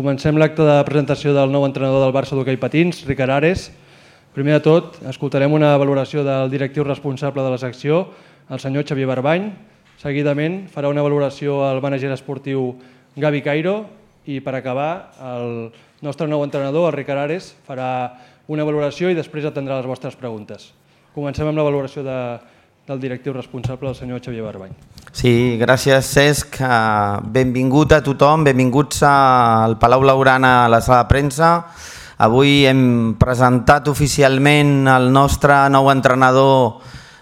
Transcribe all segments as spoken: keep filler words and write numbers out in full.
Comencem l'acte de presentació del nou entrenador del Barça d'hoquei patins, Ricard Ares. Primer de tot, escoltarem una valoració del directiu responsable de la secció, el senyor Xavier Barbany. Seguidament farà una valoració el mànager esportiu Gavi Cairo i per acabar el nostre nou entrenador, el Ricard Ares, farà una valoració i després atendrà les vostres preguntes. Comencem amb la valoració de, del directiu responsable, el senyor Xavier Barbany. Sí, gràcies Cesc. Benvingut a tothom, benvinguts al Palau Blaugrana a la sala de premsa. Avui hem presentat oficialment el nostre nou entrenador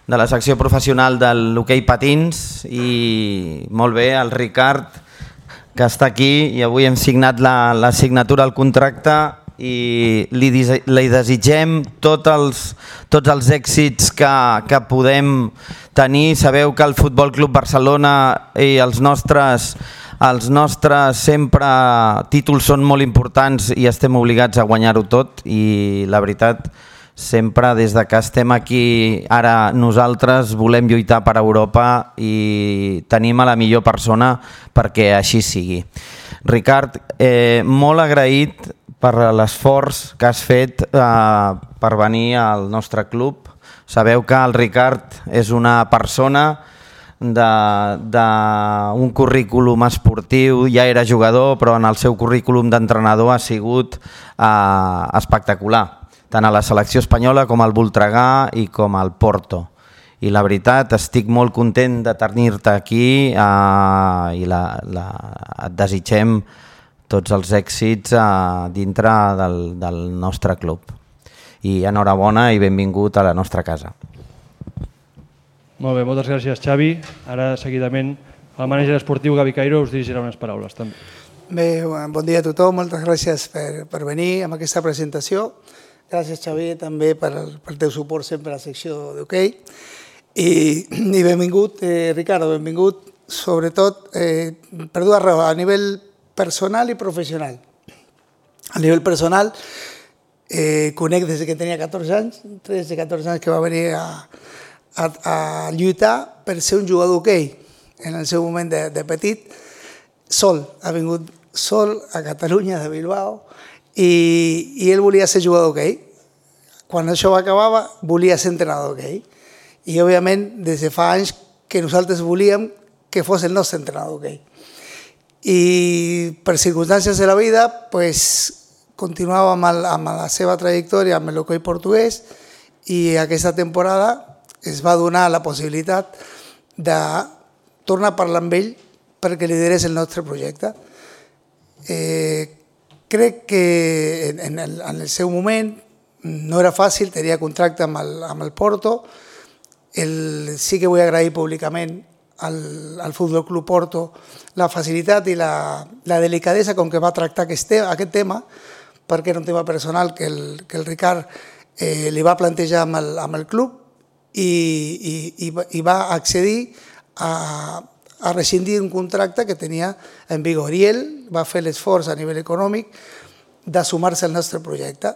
de la secció professional de l'hoquei patins i molt bé, el Ricard, que està aquí i avui hem signat la, la signatura al contracte i li, li desitgem tots els, tots els èxits que, que podem tenir. Sabeu que el Futbol Club Barcelona i els nostres, els nostres sempre títols són molt importants i estem obligats a guanyar-ho tot i la veritat sempre des de que estem aquí ara nosaltres volem lluitar per Europa i tenim a la millor persona perquè així sigui. Ricard, eh, molt agraït per l'esforç que has fet eh, per venir al nostre club. Sabeu que el Ricard és una persona d'un currículum esportiu, ja era jugador, però en el seu currículum d'entrenador ha sigut eh, espectacular, tant a la selecció espanyola com al Voltregà i com al Porto. I la veritat, estic molt content de tenir-te aquí eh, i la, la, et desitgem tots els èxits eh, dintre del, del nostre club. I enhorabona i benvingut a la nostra casa. Molt bé, moltes gràcies Xavi. Ara seguidament el mànager esportiu Gavi Cairo us dirigirà unes paraules també. Bé, bon dia a tothom, moltes gràcies per, per venir amb aquesta presentació. Gràcies Xavi també per el, pel teu suport sempre a la secció d'hoquei. I, i benvingut, eh, Ricardo, benvingut sobretot eh, per dues raons, a nivell personal i professional. A nivell personal, eh, conec des que tenia catorze anys, tretze catorze anys que va venir a, a, a lluitar per ser un jugador d'hoquei. En el seu moment de, de petit, sol, ha vingut sol a Catalunya, de Bilbao, i, i ell volia ser jugador d'hoquei. Quan això acabava, volia ser entrenador d'hoquei. I, òbviament, des de fa anys que nosaltres volíem que fos el nostre entrenador d'hoquei. I per circumstàncies de la vida, pues, continuava amb, el, amb la seva trajectòria amb l'hoquei portuguès i aquesta temporada es va donar la possibilitat de tornar a parlar amb ell perquè liderés el nostre projecte. Eh, crec que en el, en el seu moment no era fàcil, tenia contracte amb el, amb el Porto. El, sí que vull agrair públicament al, al Futbol Club Porto la facilitat i la, la delicadesa com que va tractar aquest, aquest tema, perquè era un tema personal que el, que el Ricard eh, li va plantejar amb el, amb el club i, i, i, i va accedir a, a rescindir un contracte que tenia en vigor. I ell va fer l'esforç a nivell econòmic de sumar-se al nostre projecte.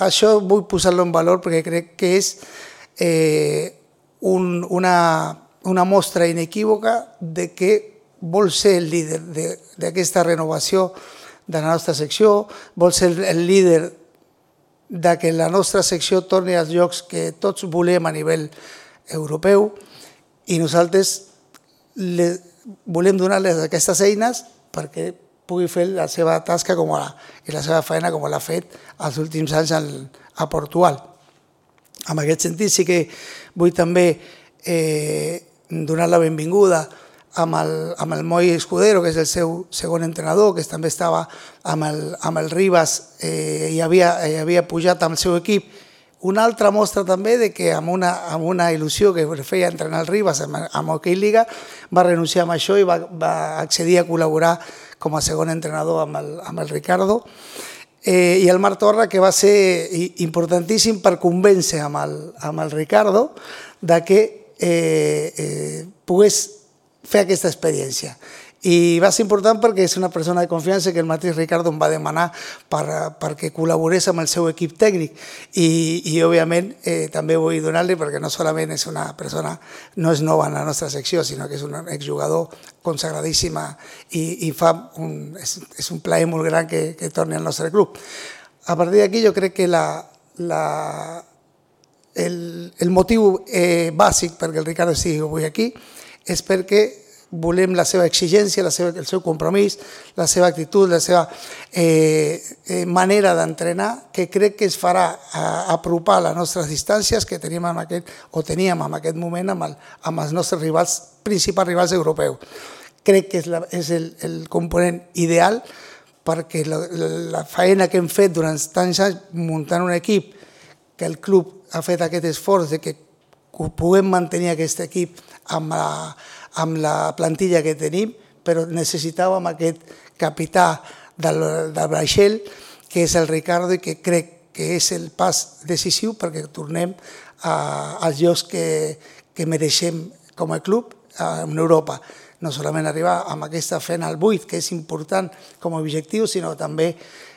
Això vull posar-lo en valor perquè crec que és eh, un, una, una mostra inequívoca de que vol ser el líder d'aquesta renovació de la nostra secció, vol ser el líder de que la nostra secció torni als llocs que tots volem a nivell europeu i nosaltres le, volem donar-les aquestes eines perquè pugui fer la seva tasca com a, i la seva feina com l'ha fet els últims anys al, a Portugal. En aquest sentit sí que vull també eh, donar la benvinguda amb el, amb el Moi Escudero, que és el seu segon entrenador, que també estava amb el, amb el Ribas eh, i havia, eh, havia pujat amb el seu equip. Una altra mostra també de que amb una, amb una il·lusió que feia entrenar el Ribas amb, amb Hockey Liga va renunciar a això i va, va accedir a col·laborar com a segon entrenador amb el, amb el Ricardo. Eh, I el Marc Torra, que va ser importantíssim per convèncer amb el, amb el Ricardo de que eh, eh, pogués fer aquesta experiència. I va ser important perquè és una persona de confiança que el mateix Ricardo em va demanar per, perquè col·laborés amb el seu equip tècnic i, i òbviament eh, també vull donar-li perquè no solament és una persona, no és nova en la nostra secció, sinó que és un exjugador consagradíssima i, i fa un, és, és un plaer molt gran que, que torni al nostre club. A partir d'aquí jo crec que la, la, el, el motiu eh, bàsic perquè el Ricardo estigui avui aquí és perquè volem la seva exigència, la seva, el seu compromís, la seva actitud, la seva eh, eh, manera d'entrenar, que crec que es farà a, apropar les nostres distàncies que teníem en aquest, o teníem en aquest moment amb, el, amb els nostres rivals, principals rivals europeus. Crec que és, la, és el, el component ideal perquè la, la, la feina que hem fet durant tants anys muntant un equip, que el club ha fet aquest esforç de que puguem mantenir aquest equip amb la amb la plantilla que tenim, però necessitàvem aquest capità del, del Braixell, que és el Ricardo, i que crec que és el pas decisiu perquè tornem a, als llocs que, que mereixem com a club en Europa. No solament arribar amb aquesta feina al vuit, que és important com a objectiu, sinó també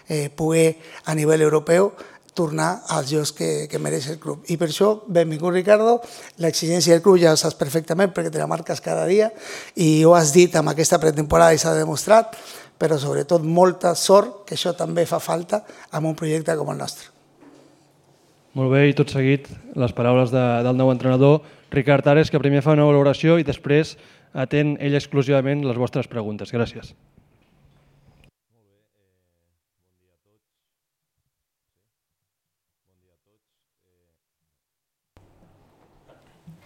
eh, poder a nivell europeu tornar als llocs que, que mereix el club. I per això, benvingut Ricardo, l'exigència del club ja ho saps perfectament perquè te la marques cada dia i ho has dit amb aquesta pretemporada i s'ha demostrat, però sobretot molta sort, que això també fa falta amb un projecte com el nostre. Molt bé, i tot seguit les paraules de, del nou entrenador, Ricard Ares, que primer fa una valoració i després atén ell exclusivament les vostres preguntes. Gràcies.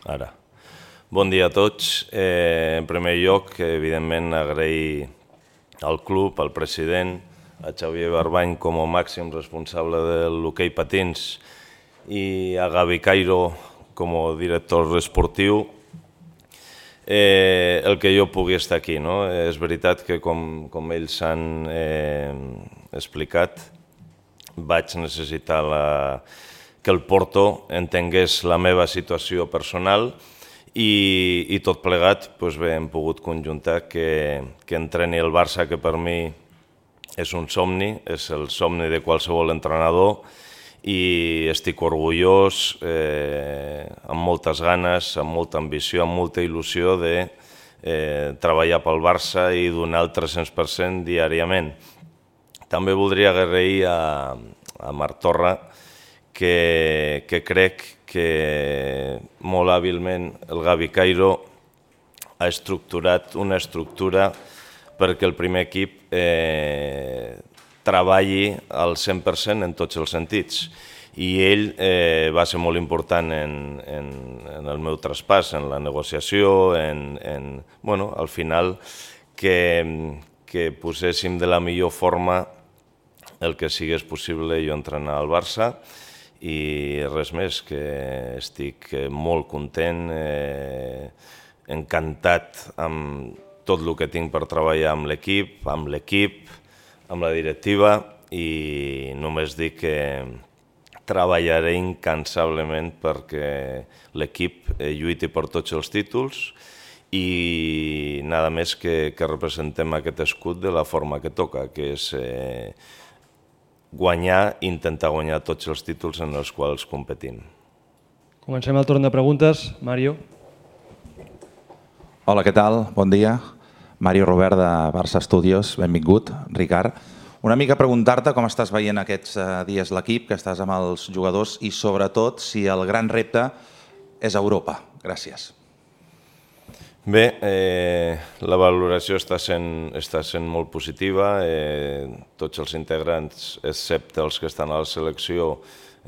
Ara. Bon dia a tots. Eh, en primer lloc, evidentment, agrair al club, al president, a Xavier Barbany com a màxim responsable de l'hoquei patins i a Gavi Cairo com a director esportiu eh, el que jo pugui estar aquí. No? És veritat que, com, com ells han eh, explicat, vaig necessitar la... que el Porto entengués la meva situació personal i, i tot plegat doncs bé, hem pogut conjuntar que, que entreni el Barça, que per mi és un somni, és el somni de qualsevol entrenador i estic orgullós, eh, amb moltes ganes, amb molta ambició, amb molta il·lusió de eh, treballar pel Barça i donar el tres-cents per cent diàriament. També voldria agrair a, a Marc Torra, Que, que crec que molt hàbilment el Gavi Cairo ha estructurat una estructura perquè el primer equip eh, treballi al cent per cent en tots els sentits. I ell eh, va ser molt important en, en, en el meu traspàs, en la negociació, en, en, bueno, al final que, que poséssim de la millor forma el que sigués possible jo entrenar al Barça. I res més, que estic molt content, eh, encantat amb tot el que tinc per treballar amb l'equip, amb l'equip, amb la directiva i només dic que treballaré incansablement perquè l'equip lluiti per tots els títols i nada més que, que representem aquest escut de la forma que toca, que és eh, guanyar, intentar guanyar tots els títols en els quals competim. Comencem el torn de preguntes. Mario. Hola, què tal? Bon dia. Mario Robert de Barça Studios. Benvingut, Ricard. Una mica preguntar-te com estàs veient aquests dies l'equip, que estàs amb els jugadors i sobretot si el gran repte és Europa. Gràcies. Bé, eh, la valoració està sent, està sent molt positiva. Eh, tots els integrants, excepte els que estan a la selecció,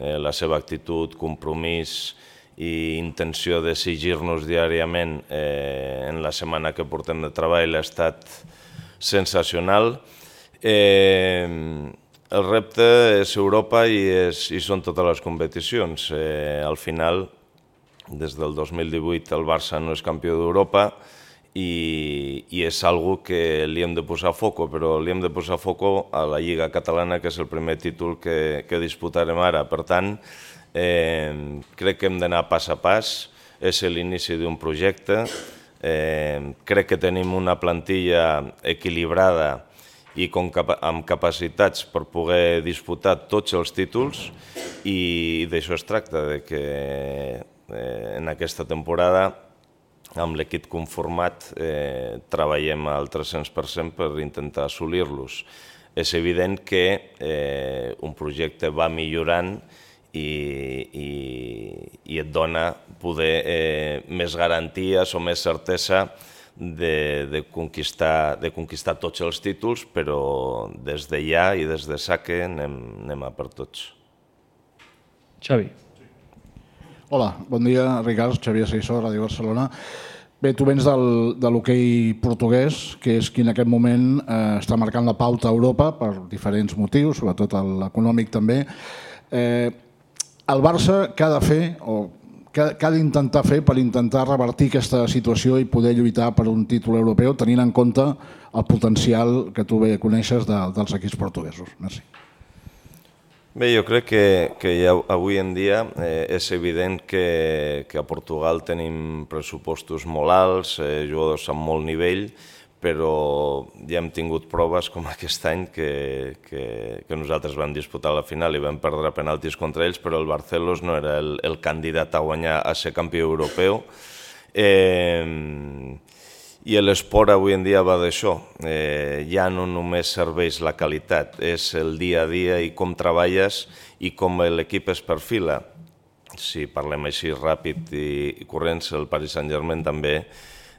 eh, la seva actitud, compromís i intenció de exigir-nos diàriament eh, en la setmana que portem de treball ha estat sensacional. Eh, el repte és Europa i, és, i són totes les competicions. Eh, al final, des del dos mil divuit el Barça no és campió d'Europa i, i és algo que li hem de posar foco, però li hem de posar foco a la Lliga Catalana, que és el primer títol que, que disputarem ara. Per tant, eh, crec que hem d'anar pas a pas, és l'inici d'un projecte. Eh, crec que tenim una plantilla equilibrada i com capa amb capacitats per poder disputar tots els títols, i d'això es tracta, de que eh, en aquesta temporada amb l'equip conformat eh, treballem al tres-cents per cent per intentar assolir-los. És evident que eh, un projecte va millorant i, i, i et dona poder eh, més garanties o més certesa de, de, conquistar, de conquistar tots els títols, però des de ja i des de saque anem, anem a per tots. Xavi. Hola, bon dia, Ricard, Xavier Seissó, Ràdio Barcelona. Bé, tu vens del, de l'hoquei portuguès, que és qui en aquest moment eh, està marcant la pauta a Europa per diferents motius, sobretot l'econòmic també. Eh, el Barça què ha de fer o què ha d'intentar fer per intentar revertir aquesta situació i poder lluitar per un títol europeu, tenint en compte el potencial que tu bé coneixes de, dels equips portuguesos? Merci. Bé, jo crec que, que ja avui en dia eh, és evident que, que a Portugal tenim pressupostos molt alts, eh, jugadors amb molt nivell, però ja hem tingut proves com aquest any que, que, que nosaltres vam disputar la final i vam perdre penaltis contra ells, però el Barcelos no era el, el candidat a guanyar a ser campió europeu. Eh, I l'esport avui en dia va d'això. Eh, ja no només serveix la qualitat, és el dia a dia i com treballes i com l'equip es perfila. Si parlem així ràpid i, i corrents, el Paris Saint-Germain també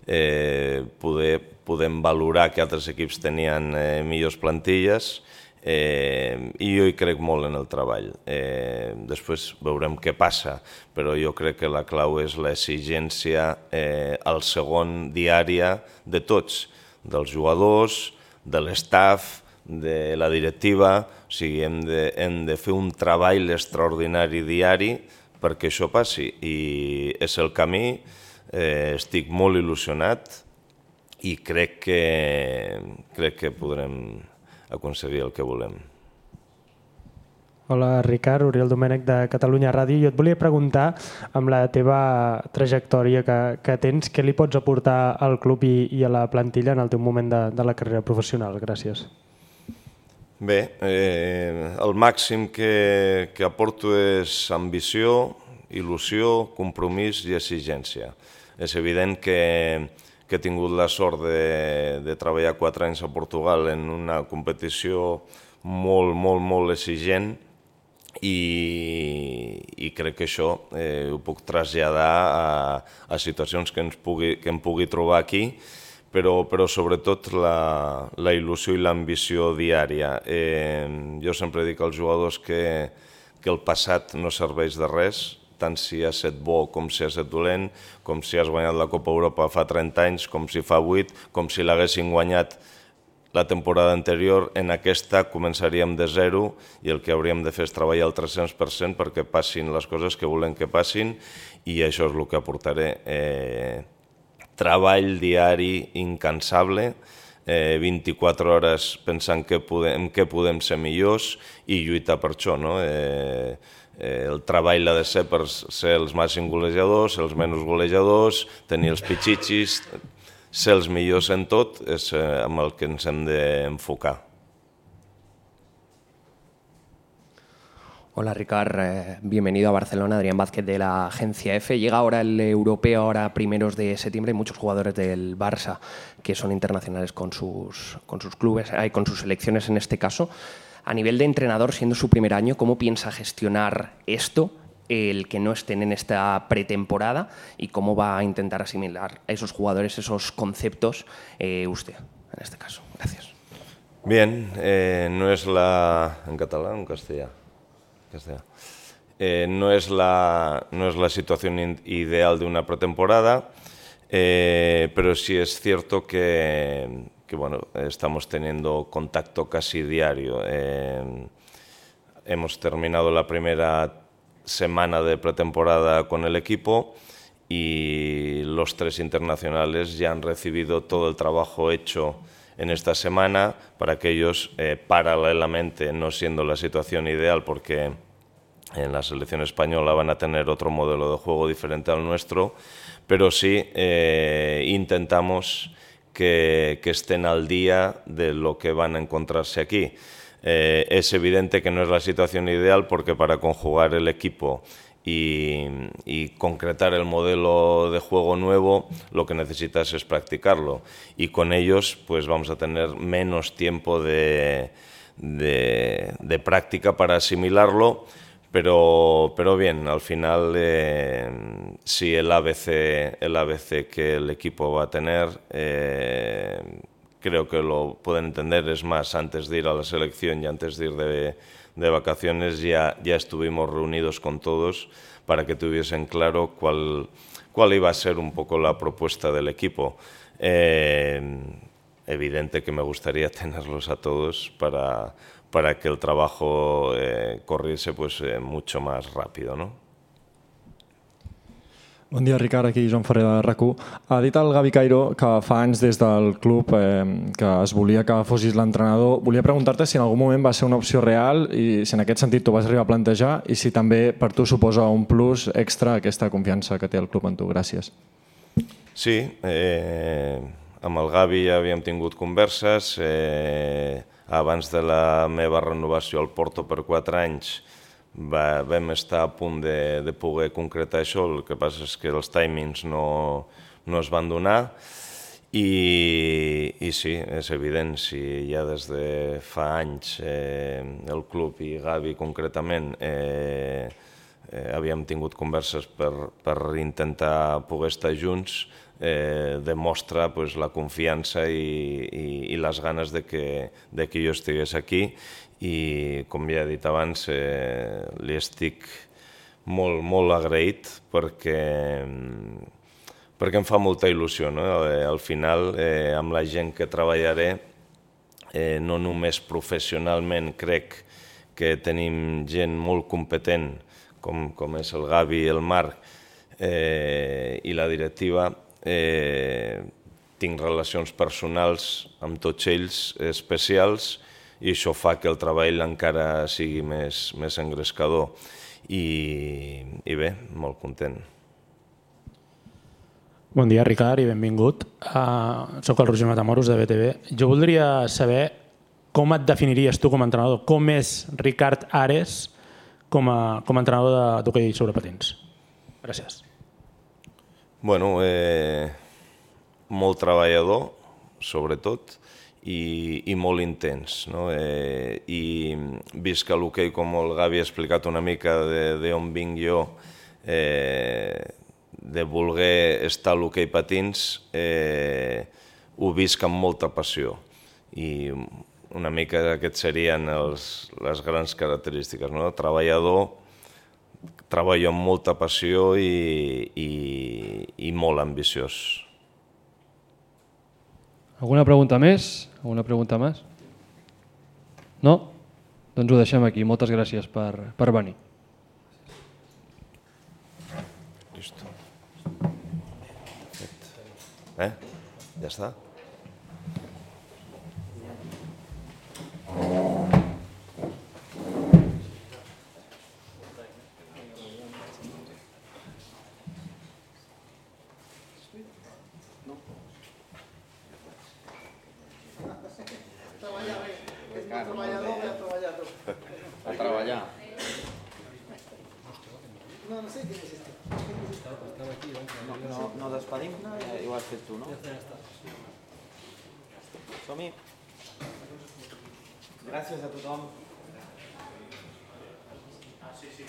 eh, poder, podem valorar que altres equips tenien eh, millors plantilles, eh, i jo hi crec molt en el treball. Eh, després veurem què passa, però jo crec que la clau és l'exigència eh, al segon diària de tots, dels jugadors, de l'estaf, de la directiva. O sigui, hem de, hem de fer un treball extraordinari diari perquè això passi, i és el camí. Eh, estic molt il·lusionat i crec que, crec que podrem aconseguir el que volem. Hola, Ricard, Oriol Domènech de Catalunya Ràdio. Jo et volia preguntar, amb la teva trajectòria que, que tens, què li pots aportar al club i, i a la plantilla en el teu moment de, de la carrera professional? Gràcies. Bé, eh, el màxim que, que aporto és ambició, il·lusió, compromís i exigència. És evident que, que he tingut la sort de, de treballar quatre anys a Portugal en una competició molt, molt, molt exigent, i, i crec que això eh, ho puc traslladar a, a situacions que, ens pugui, que em pugui trobar aquí, però, però sobretot la, la il·lusió i l'ambició diària. Eh, jo sempre dic als jugadors que, que el passat no serveix de res, tant si has estat bo com si has estat dolent, com si has guanyat la Copa Europa fa trenta anys, com si fa vuit, com si l'haguessin guanyat la temporada anterior. En aquesta començaríem de zero i el que hauríem de fer és treballar al tres-cents per cent perquè passin les coses que volem que passin, i això és el que aportaré. Eh, treball diari incansable, eh, vint-i-quatre hores pensant que podem, que podem ser millors i lluitar per això, no? Eh, eh, el treball ha de ser per ser els màxims golejadors, els menys golejadors, tenir els pitxitxis, ser els millors en tot, és eh, amb el que ens hem d'enfocar. Hola Ricard, eh, bienvenido a Barcelona, Adrián Vázquez de la agencia F. Llega ahora el europeo, ahora primeros de septiembre, hay muchos jugadores del Barça que son internacionales con sus, con sus clubes, eh, con sus selecciones en este caso. A nivel de entrenador, siendo su primer año, ¿cómo piensa gestionar esto, el que no estén en esta pretemporada, y cómo va a intentar asimilar a esos jugadores, esos conceptos, eh, usted, en este caso? Gracias. Bien, eh, no es la... ¿En catalán o en castellano? Castellano. Eh, no, es la, no es la situación ideal de una pretemporada, eh, pero sí es cierto que, que bueno, estamos teniendo contacto casi diario. Eh, hemos terminado la primera semana de pretemporada con el equipo y los tres internacionales ya han recibido todo el trabajo hecho en esta semana para que ellos, eh, paralelamente, no siendo la situación ideal porque en la selección española van a tener otro modelo de juego diferente al nuestro, pero sí eh, intentamos que, que estén al día de lo que van a encontrarse aquí. Eh, es evidente que no es la situación ideal porque para conjugar el equipo y, y concretar el modelo de juego nuevo, lo que necesitas es practicarlo. Y con ellos pues vamos a tener menos tiempo de, de, de práctica para asimilarlo, pero, pero bien, al final eh, sí el A B C, el A B C que el equipo va a tener, eh, creo que lo pueden entender. Es más, antes de ir a la selección y antes de ir de, de vacaciones ya, ya estuvimos reunidos con todos para que tuviesen claro cuál, cuál iba a ser un poco la propuesta del equipo. Eh, evidente que me gustaría tenerlos a todos para, para que el trabajo eh, corriese pues, eh, mucho más rápido, ¿no? Bon dia, Ricard, aquí Joan Ferrer de RAC u. Ha dit el Gavi Cairo que fa anys des del club eh, que es volia que fossis l'entrenador. Volia preguntar-te si en algun moment va ser una opció real i si en aquest sentit t'ho vas arribar a plantejar i si també per tu suposa un plus extra aquesta confiança que té el club en tu. Gràcies. Sí, eh, amb el Gavi ja havíem tingut converses. Eh, abans de la meva renovació al Porto per quatre anys Va, vam estar a punt de, de poder concretar això, el que passa és que els timings no, no es van donar i, i sí, és evident, si ja des de fa anys eh, el club i Gavi concretament eh, eh, havíem tingut converses per, per intentar poder estar junts, eh, demostra pues, la confiança i, i, i les ganes de que, de que jo estigués aquí. I, com ja he dit abans, eh, li estic molt, molt agraït perquè, perquè em fa molta il·lusió, no? Eh, al final, eh, amb la gent que treballaré, eh, no només professionalment crec que tenim gent molt competent, com, com és el Gavi i el Marc eh, i la directiva, eh, tinc relacions personals amb tots ells especials, i això fa que el treball encara sigui més, més engrescador i, i bé, molt content. Bon dia, Ricard, i benvingut. Uh, soc el Roger Matamoros de B T V. Jo voldria saber com et definiries tu com a entrenador, com és Ricard Ares com a, com a entrenador d'hoquei sobre patins. Gràcies. Bueno, eh, molt treballador, sobretot, I, i molt intens, no? Eh, i vist que l'hoquei, com el Gavi ha explicat una mica d'on vinc jo, eh, de voler estar a l'hoquei patins, eh, ho visc amb molta passió i una mica aquests serien els, les grans característiques, no? Treballador, treballo amb molta passió i, i, i molt ambiciós. Alguna pregunta més? Alguna pregunta més? No? Doncs ho deixem aquí. Moltes gràcies per, per venir. Listo. Eh? Ja està? A treballar. No, no sé quién es este. No, no, no despedim? Ja ho has fet tu, no? Som-hi. Gràcies a tothom. Ah, sí, sí.